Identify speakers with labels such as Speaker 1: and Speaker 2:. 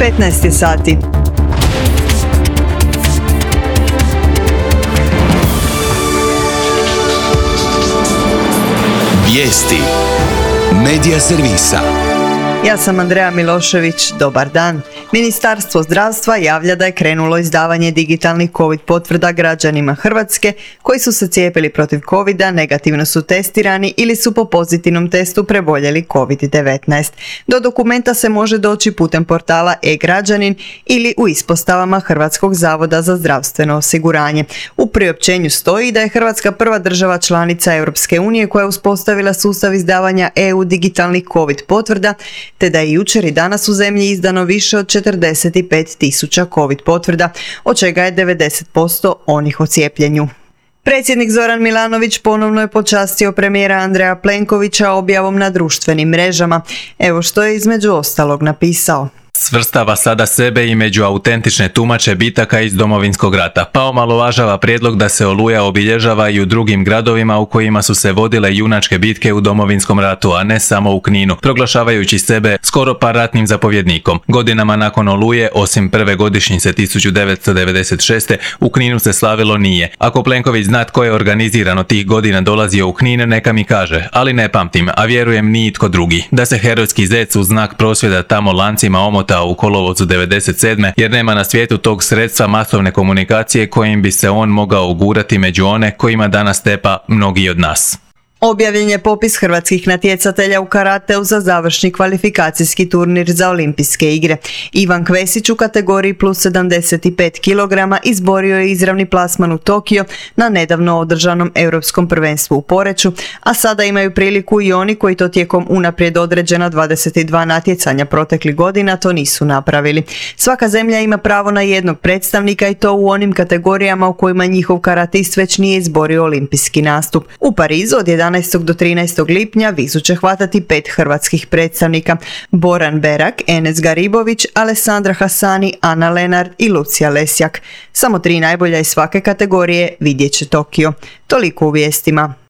Speaker 1: 15 je sati.
Speaker 2: Vijesti Medija servisa.
Speaker 1: Ja sam Andreja Milošević, dobar dan. Ministarstvo zdravstva javlja da je krenulo izdavanje digitalnih COVID potvrda građanima Hrvatske koji su se cijepili protiv COVID-a, negativno su testirani ili su po pozitivnom testu preboljeli COVID-19. Do dokumenta se može doći putem portala e-građanin ili u ispostavama Hrvatskog zavoda za zdravstveno osiguranje. U priopćenju stoji da je Hrvatska prva država članica Europske unije koja je uspostavila sustav izdavanja EU digitalnih COVID potvrda, te da je jučer i danas u zemlji izdano više od 45.000 COVID potvrda, od čega je 90% onih o cijepljenju. Predsjednik Zoran Milanović ponovno je počastio premijera Andreja Plenkovića objavom na društvenim mrežama. Evo što je između ostalog napisao.
Speaker 3: Svrstava sada sebe i među autentične tumače bitaka iz Domovinskog rata, pa omalovažava prijedlog da se Oluja obilježava i u drugim gradovima u kojima su se vodile junačke bitke u Domovinskom ratu, a ne samo u Kninu, proglašavajući sebe skoro pa ratnim zapovjednikom. Godinama nakon Oluje, osim prve godišnjice 1996. u Kninu se slavilo nije. Ako Plenković zna tko je organizirano tih godina dolazio u Knin, neka mi kaže, ali ne pamtim, a vjerujem ni itko drugi. Da se herojski zec u znak prosvjeda tamo lancima omota u kolovozu 97. jer nema na svijetu tog sredstva masovne komunikacije kojim bi se on mogao ugurati među one kojima danas tepa mnogi od nas.
Speaker 1: Objavljen je popis hrvatskih natjecatelja u karateu za završni kvalifikacijski turnir za olimpijske igre. Ivan Kvesić u kategoriji plus 75 kg izborio je izravni plasman u Tokio na nedavno održanom europskom prvenstvu u Poreču, a sada imaju priliku i oni koji to tijekom unaprijed određena 22 natjecanja proteklih godina to nisu napravili. Svaka zemlja ima pravo na jednog predstavnika i to u onim kategorijama u kojima njihov karatist već nije izborio olimpijski nastup. U Parizu od 11. do 13. lipnja vizu će hvatati 5 hrvatskih predstavnika: Boran Berak, Enes Garibović, Alessandra Hasani, Ana Lenard i Lucija Lesjak. Samo 3 najbolja iz svake kategorije vidjet će Tokio. Toliko u vijestima.